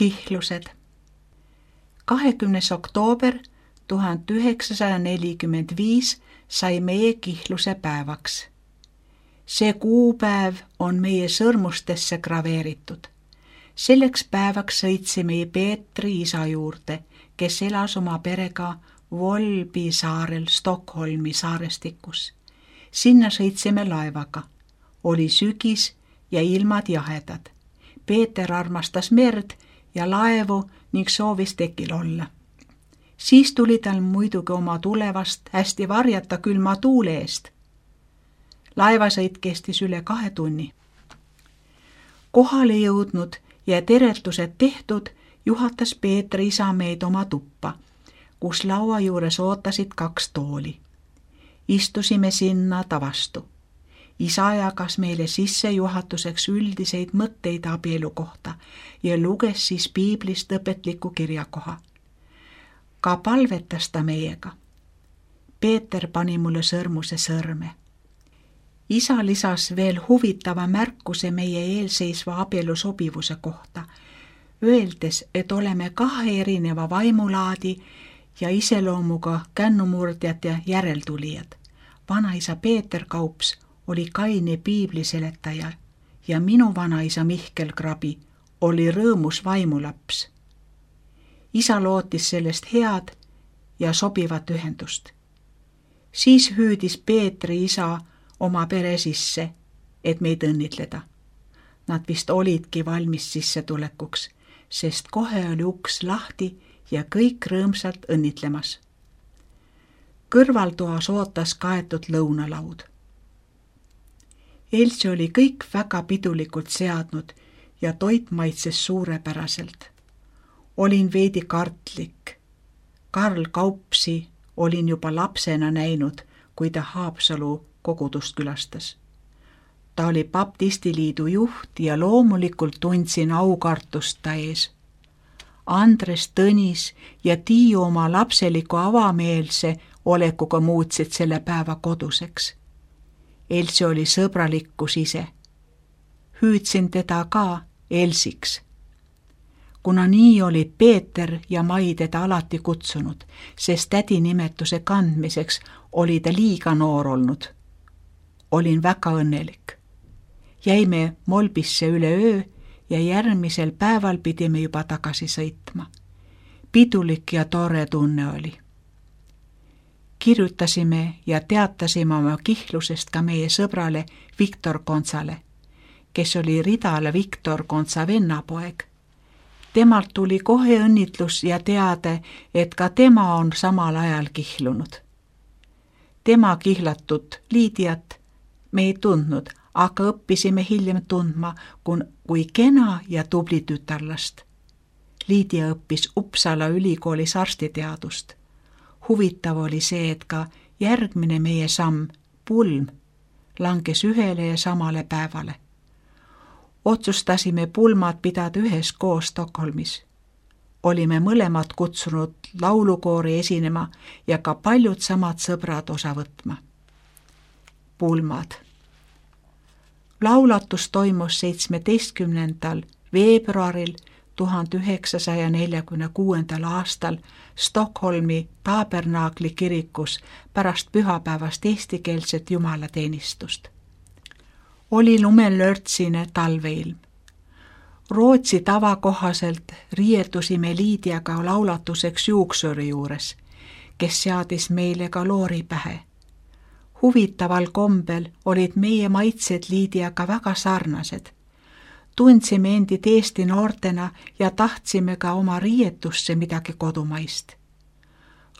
Kihlused. 20. oktoober 1945 sai meie Kihluse päevaks. See kuupäev on meie sõrmustesse graveeritud. Selleks päevaks sõitsime Peetri isa juurde, kes elas oma perega Volbi saarel Stockholmi saarestikus. Sinna sõitsime laevaga. Oli sügis ja ilmad jahedad. Peeter armastas merd ja laevu ning soovis tekil olla. Siis tuli tal muidugi oma tulevast hästi varjata külma tuule eest. Laevasõit kestis üle 2 tunni. Kohale jõudnud ja teretused tehtud, juhatas Peetri isa meid oma tuppa, kus laua juures ootasid 2 tooli. Istusime sinna ta vastu. Isa jagas meile sissejuhatuseks üldiseid mõtteid abielu kohta ja luges siis piiblist õpetliku kirjakoha. Ka palvetas ta meiega. Peeter pani mulle sõrmuse sõrme. Isa lisas veel huvitava märkuse meie eelseisva abielu sobivuse kohta, öeldes, et oleme 2 erineva vaimulaadi ja iseloomuga kännumurdjad ja järeltulijad. Vanaisa Peeter Kaups oli kaine piibliseletaja ja minu vanaisa Mihkel Krabi oli rõõmus vaimulaps. Isa lootis sellest head ja sobivat ühendust. Siis hüüdis Peetri isa oma pere sisse, et meid õnnitleda. Nad vist olidki valmis sissetulekuks, sest kohe oli uks lahti ja kõik rõõmsalt õnnitlemas. Kõrvaltoas ootas kaetud lõunalaud. Elsi oli kõik väga pidulikult seadnud ja toit maitses suurepäraselt. Olin veidi kartlik. Karl Kaupsi olin juba lapsena näinud, kui ta Haapsalu kogudust külastas. Ta oli baptistiliidu juht ja loomulikult tundsin aukartust ta ees. Andres, Tõnis ja Tiiu oma lapseliku avameelse olekuga muutsid selle päeva koduseks. Elsi oli sõbralikkus ise. Hüüdsin teda ka Elsiks. Kuna nii oli Peeter ja Mai teda alati kutsunud, sest tädi nimetuse kandmiseks oli ta liiga noor olnud. Olin väga õnnelik. Jäime Molbisse üle öö ja järgmisel päeval pidime juba tagasi sõitma. Pidulik ja tore tunne oli. Kirjutasime ja teatasime oma Kihlusest ka meie sõbrale Viktor Kontsale, kes oli Ridala Viktor Kontsa vennapoeg. Temalt tuli kohe õnnitlus ja teade, et ka tema on samal ajal kihlunud. Tema kihlatud Liidiat me ei tundnud, aga õppisime hiljem tundma kui kena ja tubli tütarlast. Liidia õppis Uppsala ülikoolis arstiteadust. Huvitav oli see, et ka järgmine meie samm, pulm, langes ühele ja samale päevale. Otsustasime pulmad pidada üheskoos Stockholmis. Olime mõlemad kutsunud laulukoori esinema ja ka paljud samad sõbrad osa võtma. Pulmad. Laulatus toimus 17. veebruaril 1946. aastal Stockholmi Tabernaakli kirikus pärast pühapäevast eestikeelset jumalateenistust. Oli lumelörtsine talveilm. Rootsi tava kohaselt riietusime Liidiaga laulatuseks juuksuri juures, kes seadis meile ka loori pähe. Huvitaval kombel olid meie maitsed Liidiaga väga sarnased. Tundsime endid Eesti noortena ja tahtsime ka oma riietusse midagi kodumaist.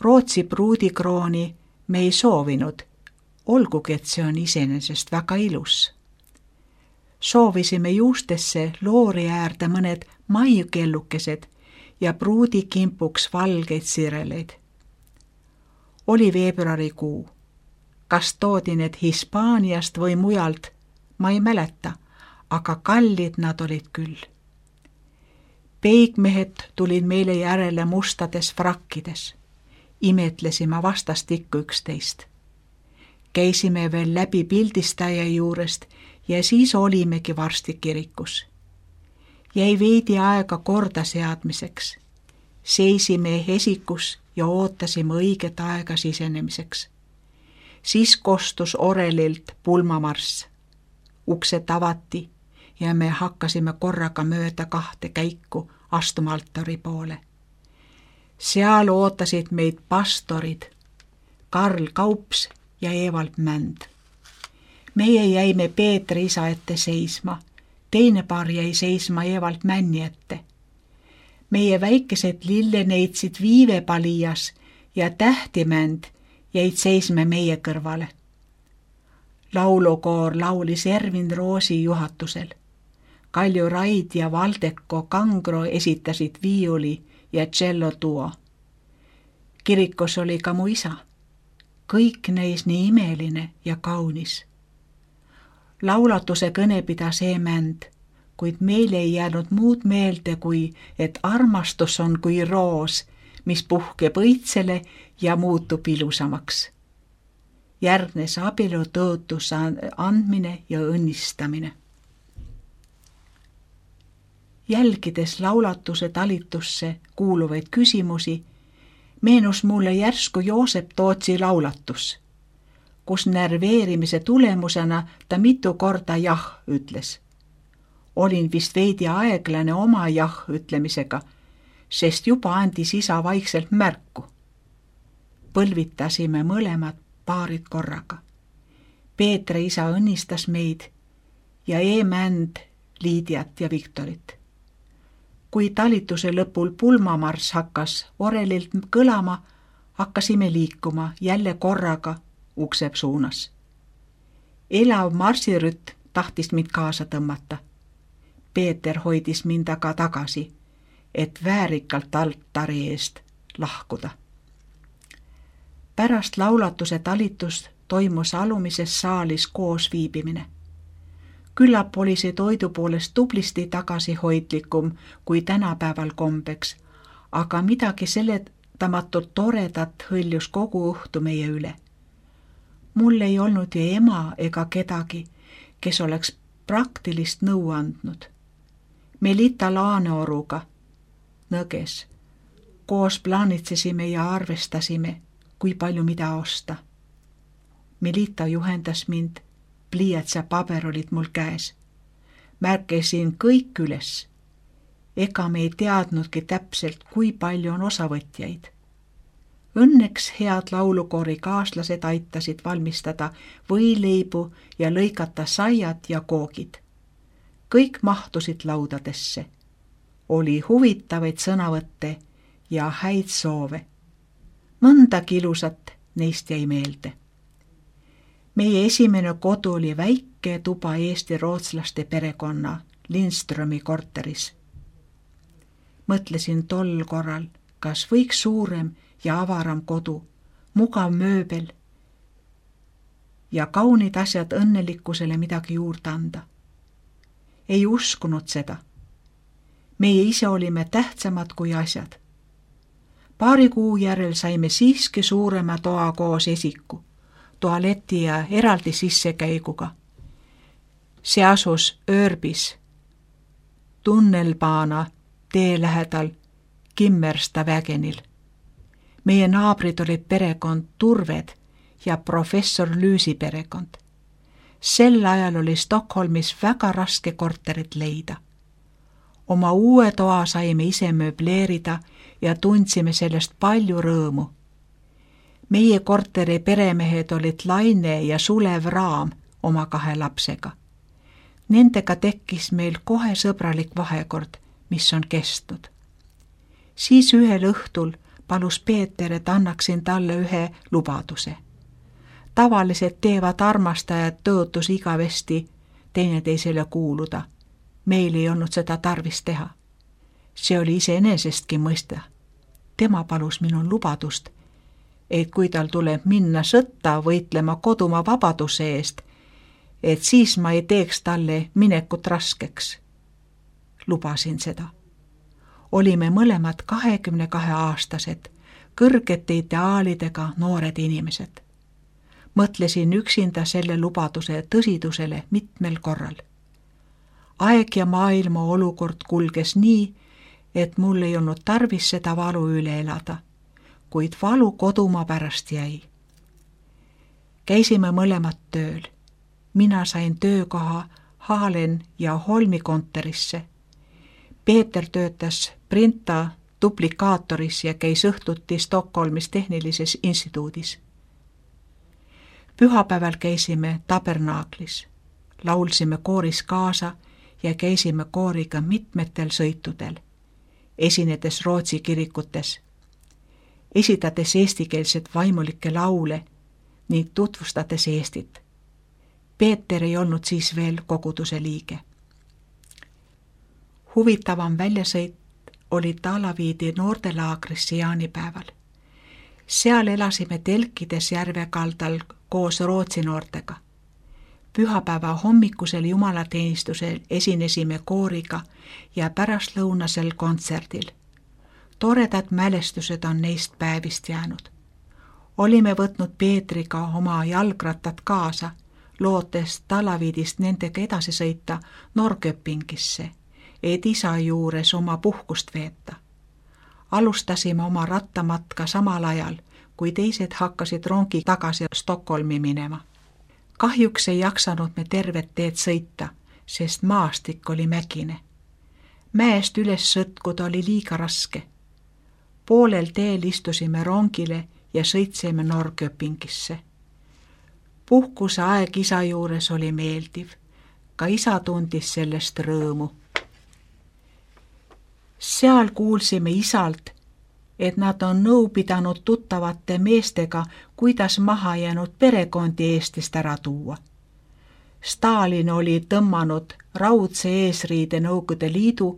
Rootsi pruudikrooni me ei soovinud, olgugi et see on iseenesest väga ilus. Soovisime juustesse loori äärde mõned maiukellukesed ja pruudikimpuks valgeid sireleid. Oli veebruarikuu. Kas toodi need Hispaaniast või mujalt, ma ei mäleta, aga kallid nad olid küll. Peigmehed tulid meile järele mustades frakkides. Imetlesime vastastikku üksteist. Käisime veel läbi pildistaja juurest ja siis olimegi varsti kirikus. Jäi veidi aega korda seadmiseks. Seisime esikus ja ootasime õiget aega sisenemiseks. Siis kostus orelilt pulmamarss. Uksed avati ja me hakkasime korraga mööda 2 käiku astuma altari poole. Seal ootasid meid pastorid Karl Kaups ja Evald Mänd. Meie jäime Peetri isa ette seisma, teine paar jäi seisma Evald Männi ette. Meie väikesed lilleneitsid Viivepalias ja Tähtimänd jäid seisma meie kõrvale. Laulukoor laulis Ervin Roosi juhatusel. Kalju Raid ja Valdeko Kangro esitasid viiuli ja cello duo. Kirikus oli ka mu isa. Kõik näis nii imeline ja kaunis. Laulatuse kõne pidas Mänd, kuid meil ei jäänud muud meelde kui, et armastus on kui roos, mis puhkeb õitsele ja muutub ilusamaks. Järgnes abielu tõotuse andmine ja õnnistamine. Jälgides laulatuse talitusse kuuluvaid küsimusi, meenus mulle järsku Joosep Tootsi laulatus, kus nerveerimise tulemusena ta mitu korda jah ütles. Olin vist veidi aeglane oma jah ütlemisega, sest juba andis isa vaikselt märku. Põlvitasime mõlemad paarid korraga. Peetri isa õnnistas meid ja Mänd Liidiat ja Viktorit. Kui talituse lõpul pulmamarss hakkas orelilt kõlama, hakkasime liikuma jälle korraga ukse suunas. Elav marsirütm tahtis mind kaasa tõmmata. Peeter hoidis mind aga tagasi, et väärikalt altari eest lahkuda. Pärast laulatuse talitust toimus alumises saalis koos viibimine. Küllap oli see toidu poolest tublisti tagasihoidlikum kui tänapäeval kombeks, aga midagi seletamatult toredat hõljus kogu õhtu meie üle. Mul ei olnud ju ema ega kedagi, kes oleks praktilist nõu andnud. Melita Laaneoruga nõges. Koos plaanitsesime ja arvestasime, kui palju mida osta. Melita juhendas mind, pliiats ja paber olid mul käes. Märkesin kõik üles. Ega me ei teadnudki täpselt, kui palju on osavõtjaid. Õnneks head laulukoori kaaslased aitasid valmistada võileibu ja lõigata saiad ja koogid. Kõik mahtusid laudadesse. Oli huvitavaid sõnavõtte ja häid soove. Mõndagi ilusat neist jäi meelde. Meie esimene kodu oli väike tuba eesti-rootslaste perekonna Lindströmi korteris. Mõtlesin tol korral, kas võiks suurem ja avaram kodu, mugav mööbel ja kaunid asjad õnnelikkusele midagi juurde anda. Ei uskunud seda. Meie ise olime tähtsamad kui asjad. Paari kuu järel saime siiski suurema toa koos esiku, tualeti ja eraldi sissekäiguga. See asus Öörbis, Tunnelbaana tee lähedal Kimmersta vägenil. Meie naabrid olid perekond Turved ja professor Lüüsi perekond. Sel ajal oli Stockholmis väga raske korterit leida. Oma uue toa saime ise mööbleerida ja tundsime sellest palju rõõmu. Meie korteri peremehed olid Laine ja Sulev Raam oma 2 lapsega. Nendega tekkis meil kohe sõbralik vahekord, mis on kestnud. Siis ühel õhtul palus Peeter, et annaksin talle ühe lubaduse. Tavaliselt teevad armastajad tõotus igavesti teineteisele kuuluda. Meil ei olnud seda tarvis teha. See oli iseenesestki mõista. Tema palus minul lubadust, et kui tal tuleb minna sõtta võitlema kodumaa vabaduse eest, et siis ma ei teeks talle minekut raskeks. Lubasin seda. Olime mõlemad 22-aastased, kõrgete ideaalidega noored inimesed. Mõtlesin üksinda selle lubaduse tõsidusele mitmel korral. Aeg ja maailma olukord kulges nii, et mul ei olnud tarvis seda valu üle elada, kuid valu kodumaa pärast jäi. Käisime mõlemad tööl. Mina sain töökoha Haalen ja Holmi kontorisse. Peeter töötas printa duplikaatoris ja käis õhtuti Stockholmis tehnilises instituudis. Pühapäeval käisime tabernaaklis, laulsime kooris kaasa ja käisime kooriga mitmetel sõitudel, esinedes Rootsi kirikutes, esitades eestikeelset vaimulikke laule ning tutvustades Eestit. Peeter ei olnud siis veel koguduse liige. Huvitavam väljasõit oli Talaviidi noortelaagrisse jaanipäeval. Seal elasime telkides järve kaldal koos Rootsi noortega. Pühapäeva hommikusel jumalateenistusel esinesime kooriga ja pärastlõunasel kontserdil. Toredad mälestused on neist päevist jäänud. Olime võtnud Peetriga oma jalgrattad kaasa, lootes Talaviidist nendega edasi sõita Norrköpingisse, et isa juures oma puhkust veeta. Alustasime oma rattamatka samal ajal, kui teised hakkasid rongi tagasi Stockholmi minema. Kahjuks ei jaksanud me tervet teed sõita, sest maastik oli mägine. Mäest üles sõtkuda oli liiga raske. Poolel teel istusime rongile ja sõitsime Norrköpingisse. Puhkuse aeg isa juures oli meeldiv. Ka isa tundis sellest rõõmu. Seal kuulsime isalt, et nad on nõu pidanud tuttavate meestega, kuidas maha jäänud perekondi Eestist ära tuua. Stalin oli tõmmanud raudse eesriide Nõukogude Liidu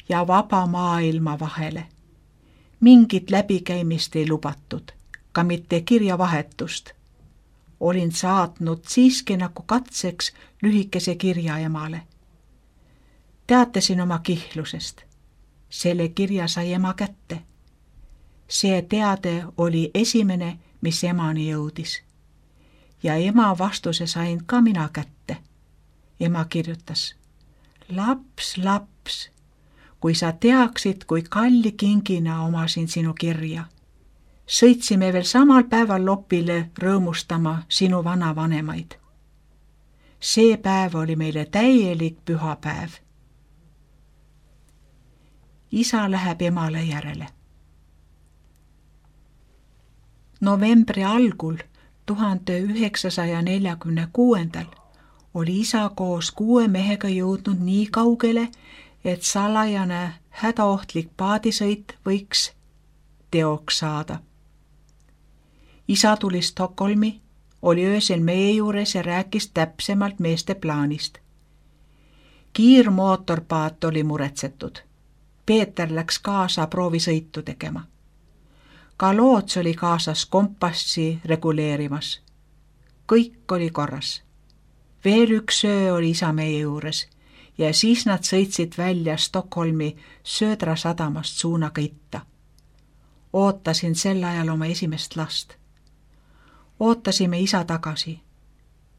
ja vaba maailma vahele. Mingit läbikäimist ei lubatud, ka mitte kirjavahetust. Olin saatnud siiski nagu katseks lühikese kirja emale. Teatasin oma kihlusest. Selle kirja sai ema kätte. See teade oli esimene, mis emani jõudis. Ja ema vastuse sain ka mina kätte. Ema kirjutas: laps, laps, kui sa teaksid, kui kalli kingina omasin sinu kirja. Sõitsime veel samal päeval Lopile rõõmustama sinu vanavanemaid. See päev oli meile täielik pühapäev. Isa läheb emale järele. Novembri algul 1946. oli isa koos 6 mehega jõudnud nii kaugele, et salajane hädaohtlik paadisõit võiks teoks saada. Isa tuli Stockholmi, oli öösel meie juures ja rääkis täpsemalt meeste plaanist. Kiirmootorpaat oli muretsetud. Peeter läks kaasa proovisõitu tegema. Ka loots oli kaasas kompassi reguleerimas. Kõik oli korras. Veel üks öö oli isa meie juures ja siis nad sõitsid välja Stockholmi Södra sadamast suunaga itta. Ootasin sel ajal oma esimest last. Ootasime isa tagasi.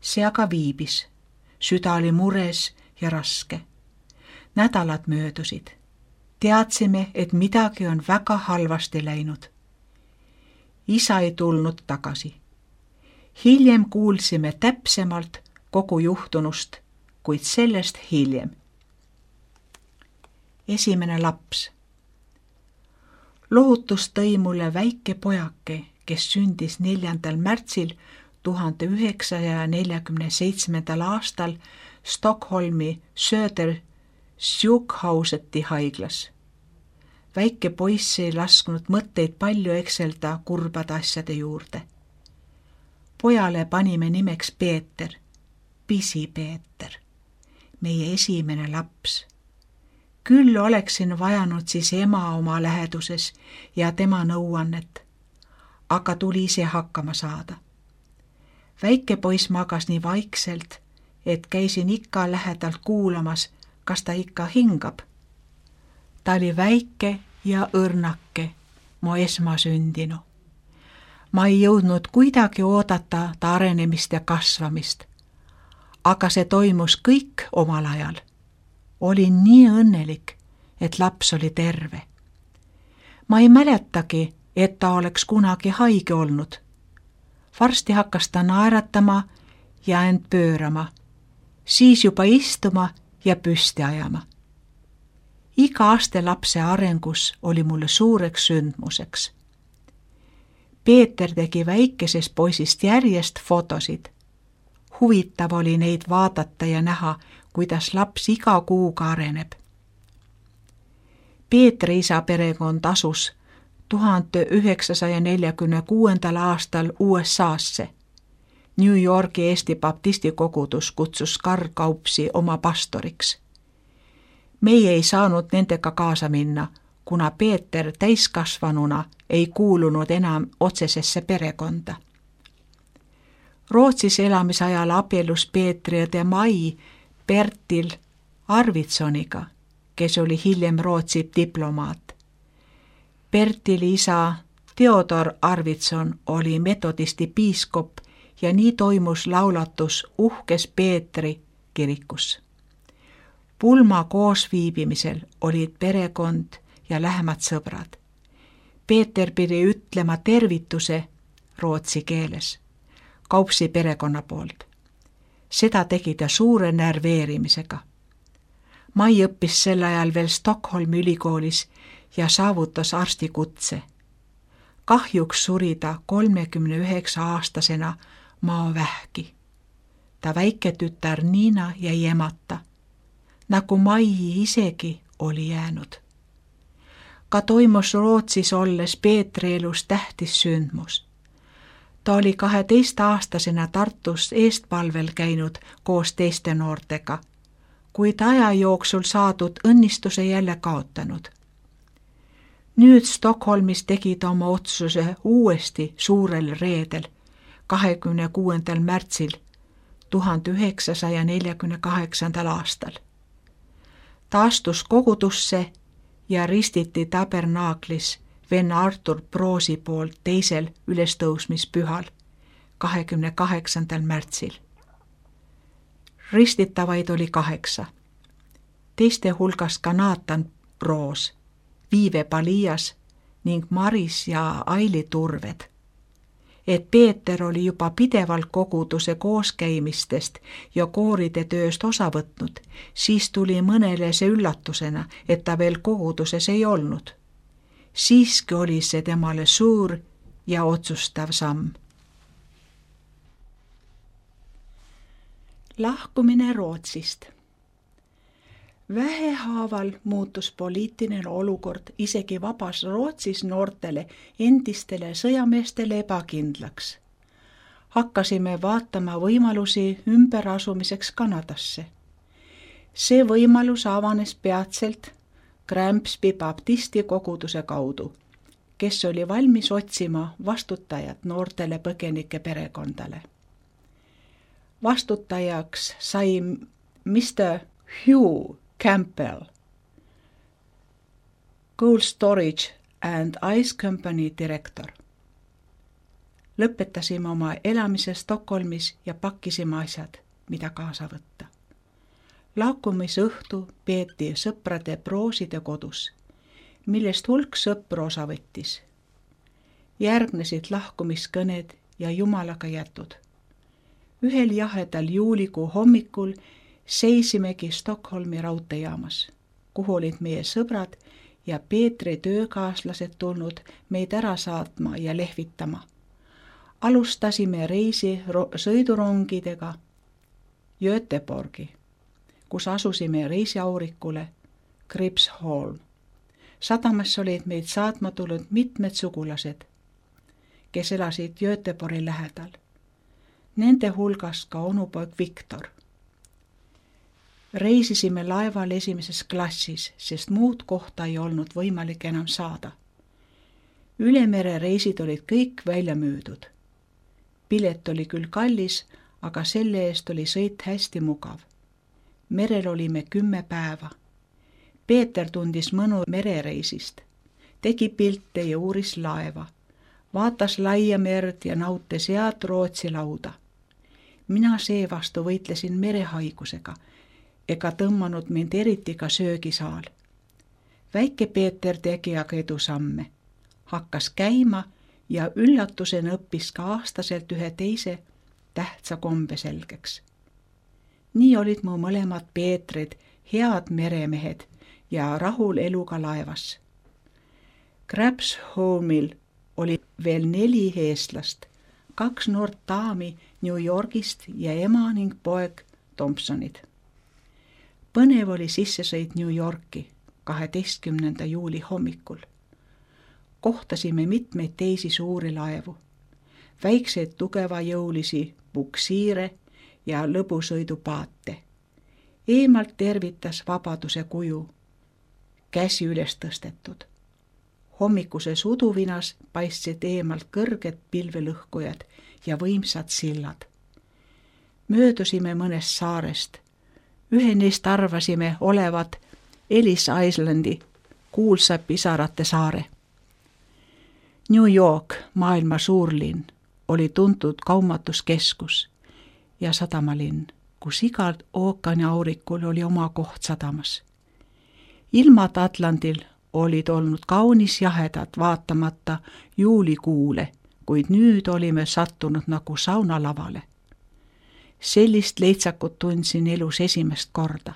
See aga viibis. Süda oli mures ja raske. Nädalad möödusid. Teadsime, et midagi on väga halvasti läinud. Isa ei tulnud tagasi. Hiljem kuulsime täpsemalt kogu juhtunust, kuid sellest hiljem. Esimene laps. Lohutus tõi mulle väike pojake, kes sündis 4. märtsil 1947. aastal Stockholmi Söder Sjukhauseti haiglas. Väike poiss ei lasknud mõtteid palju ekselda kurbade asjade juurde. Pojale panime nimeks Peeter, Pisi Peeter, meie esimene laps. Küll oleksin vajanud siis ema oma läheduses ja tema nõuannet, aga tuli ise hakkama saada. Väike poiss magas nii vaikselt, et käisin ikka lähedalt kuulamas, kas ta ikka hingab. Ta oli väike ja õrnake, mu esmasündinu. Ma ei jõudnud kuidagi oodata ta arenemist ja kasvamist, aga see toimus kõik omal ajal. Olin nii õnnelik, et laps oli terve. Ma ei mäletagi, et ta oleks kunagi haige olnud. Varsti hakkas ta naeratama ja end pöörama, siis juba istuma ja püsti ajama. Iga aste lapse arengus oli mulle suureks sündmuseks. Peeter tegi väikesest poisist järjest fotosid. Huvitav oli neid vaadata ja näha, kuidas laps iga kuuga areneb. Peetri isa perekond asus 1946. aastal USA-sse. New Yorgi Eesti baptisti kogudus kutsus Karl Kaupsi oma pastoriks. Meie ei saanud nendega kaasa minna, kuna Peeter täiskasvanuna ei kuulunud enam otsesesse perekonda. Rootsis elamisajal abiellus Peetri õde Mai Bertil Arvidssoniga, kes oli hiljem Rootsi diplomaat. Bertili isa Theodor Arvidsson oli metodisti piiskop ja nii toimus laulatus uhkes Peetri kirikus. Pulma koosviibimisel olid perekond ja lähemad sõbrad. Peeter pidi ütlema tervituse rootsi keeles, Kaupsi perekonna poolt. Seda tegi ta suure närveerimisega. Mai õppis sel ajal veel Stockholmi ülikoolis ja saavutas arstikutse. Kahjuks suri ta 39-aastasena maavähki. Ta väike tütar Niina jäi emata, nagu Mai isegi oli jäänud. Ka toimus Rootsis olles Peetri elus tähtis sündmus. Ta oli 12-aastasena Tartus eestpalvel käinud koos teiste noortega, kuid aja jooksul saadud õnnistuse jälle kaotanud. Nüüd Stockholmis tegi ta oma otsuse uuesti suurel reedel, 26. märtsil 1948. aastal. Ta astus kogudusse ja ristiti tabernaaklis venna Artur Proosi poolt teisel ülestõusmispühal, 28. märtsil. Ristitavaid oli 8. Teiste hulgas ka Naatan Proos, Viive Palias ning Maris ja Aili Turved. Et Peeter oli juba pidevalt koguduse kooskäimistest ja kooride tööst osa võtnud, siis tuli mõnele see üllatusena, et ta veel koguduses ei olnud. Siiski oli see temale suur ja otsustav samm. Lahkumine Rootsist. Vähehaaval muutus poliitiline olukord isegi vabas Rootsis noortele endistele sõjameestele ebakindlaks. Hakkasime vaatama võimalusi ümberasumiseks Kanadasse. See võimalus avanes peatselt Granby baptisti koguduse kaudu, kes oli valmis otsima vastutajat noortele põgenike perekondale. Vastutajaks sai Mr. Hugh Campbell, Cold Storage and Ice Company direktor. Lõpetasime oma elamise Stockholmis ja pakkisime asjad, mida kaasa võtta. Lahkumisõhtu peeti sõprade Prooside kodus, millest hulk sõpru osa võttis. Järgnesid lahkumiskõned ja Jumalaga jätud. Ühel jahedal juulikuu hommikul seisimegi Stockholmi raudteejaamas, kuhu olid meie sõbrad ja Peetri töökaaslased tulnud meid ära saatma ja lehvitama. Alustasime reisi sõidurongidega Göteborgi, kus asusime reisiaurikule Gripsholm. Sadamas olid meid saatma tulnud mitmed sugulased, kes elasid Göteborgi lähedal. Nende hulgas ka onupoeg Viktor. Reisisime laeval esimeses klassis, sest muud kohta ei olnud võimalik enam saada. Ülemere reisid olid kõik välja müüdud. Pilet oli küll kallis, aga selle eest oli sõit hästi mugav. Merel olime 10 päeva. Peeter tundis mõnu merereisist, tegi pilte ja uuris laeva, vaatas laia merd ja nautis head Rootsi lauda. Mina seevastu võitlesin merehaigusega, ega tõmmanud mind eriti ka söögisaal. Väike Peeter tegi aga edusamme, hakkas käima ja üllatusena õppis ka aastaselt ühe teise tähtsa kombe selgeks. Nii olid mu mõlemad Peetrid head meremehed ja rahul eluga laevas. Crabsholmil oli veel 4 eestlast, 2 noort daami New Yorgist ja ema ning poeg Thompsonid. Põnev oli sissesõit New Yorki 12. juuli hommikul. Kohtasime mitmeid teisi suuri laevu, väikseid tugevajõulisi buksiire ja lõbusõidupaate. Eemalt tervitas Vabaduse kuju, käsi üles tõstetud. Hommikuses uduvinas paistsid eemalt kõrged pilvelõhkujad ja võimsad sillad. Möödusime mõnest saarest. Ühe neist arvasime olevat Ellis Islandi, kuulsa pisarate saare. New York, maailma suurlinn, oli tuntud kaumatuskeskus ja sadamalinn, kus igal ookeaniaurikul oli oma koht sadamas. Ilmad Atlandil olid olnud kaunis jahedad vaatamata juulikuule, kuid nüüd olime sattunud nagu saunalavale. Sellist leitsakut tundsin elus esimest korda.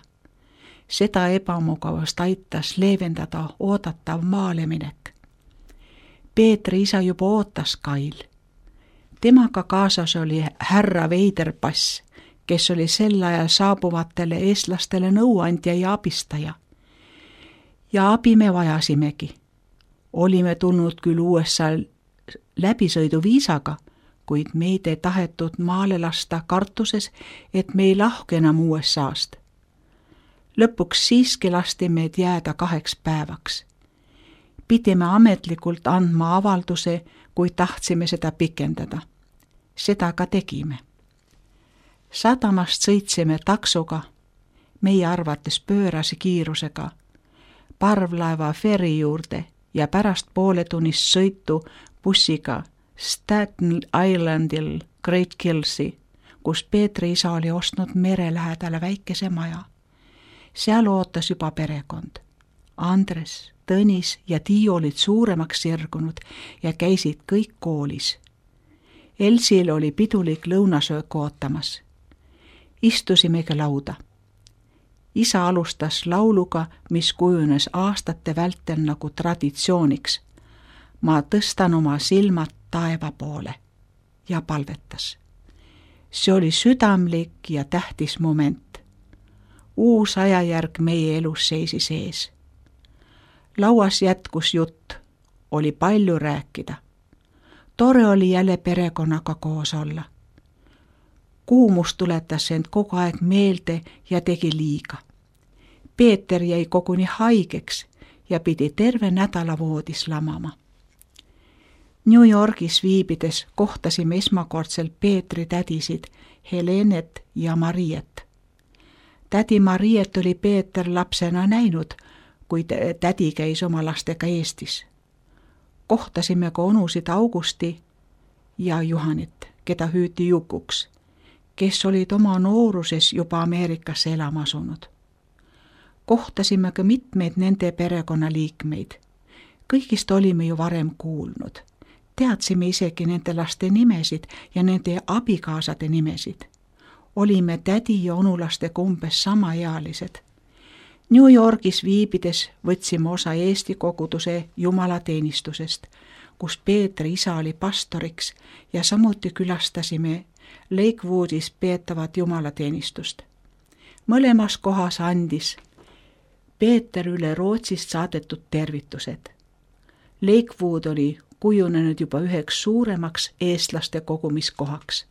Seda ebamugavust aitas leevendada oodatav maaleminek. Peetri isa juba ootas kail. Temaga kaasas oli härra Veiderpass, kes oli sel ajal saabuvatele eestlastele nõuandja ja abistaja. Ja abi me vajasimegi. Olime tulnud küll USA läbisõiduviisaga, kuid meid ei tahetud maale lasta kartuses, et me ei lahku enam USA-st. Lõpuks siiski lasti meid jääda 2 päevaks. Pidime ametlikult andma avalduse, kui tahtsime seda pikendada. Seda ka tegime. Sadamast sõitsime taksoga, meie arvates pöörase kiirusega, parvlaeva ferri juurde ja pärast pooletunnist sõitu bussiga Staten Islandil Great Killsi, kus Peetri isa oli ostnud mere lähedale väikese maja. Seal ootas juba perekond. Andres, Tõnis ja Tiiu olid suuremaks sirgunud ja käisid kõik koolis. Elsil oli pidulik lõunasöök ootamas. Istusimegi lauda. Isa alustas lauluga, mis kujunes aastate vältel nagu traditsiooniks. Ma tõstan oma silmad taeva poole ja palvetas. See oli südamlik ja tähtis moment. Uus ajajärg meie elus seisis ees. Lauas jätkus jutt, oli palju rääkida. Tore oli jälle perekonnaga koos olla. Kuumus tuletas end kogu aeg meelde ja tegi liiga. Peeter jäi koguni haigeks ja pidi terve nädala voodis lamama. New Yorgis viibides kohtasime esmakordselt Peetri tädisid Helenet ja Mariet. Tädi Mariet oli Peeter lapsena näinud, kui tädi käis oma lastega Eestis. Kohtasime ka onusid Augusti ja Juhanit, keda hüüti Jukuks, kes olid oma nooruses juba Ameerikasse elama asunud. Kohtasime ka mitmeid nende perekonnaliikmeid. Kõigist olime ju varem kuulnud. Teadsime isegi nende laste nimesid ja nende abikaasade nimesid. Olime tädi ja onulastega umbes samaealised. New Yorgis viibides võtsime osa Eesti koguduse jumalateenistusest, kus Peetri isa oli pastoriks ja samuti külastasime Lakewoodis peetavat jumalateenistust. Mõlemas kohas andis Peeter üle Rootsist saadetud tervitused. Lakewood oli kujunenud juba üheks suuremaks eestlaste kogumiskohaks.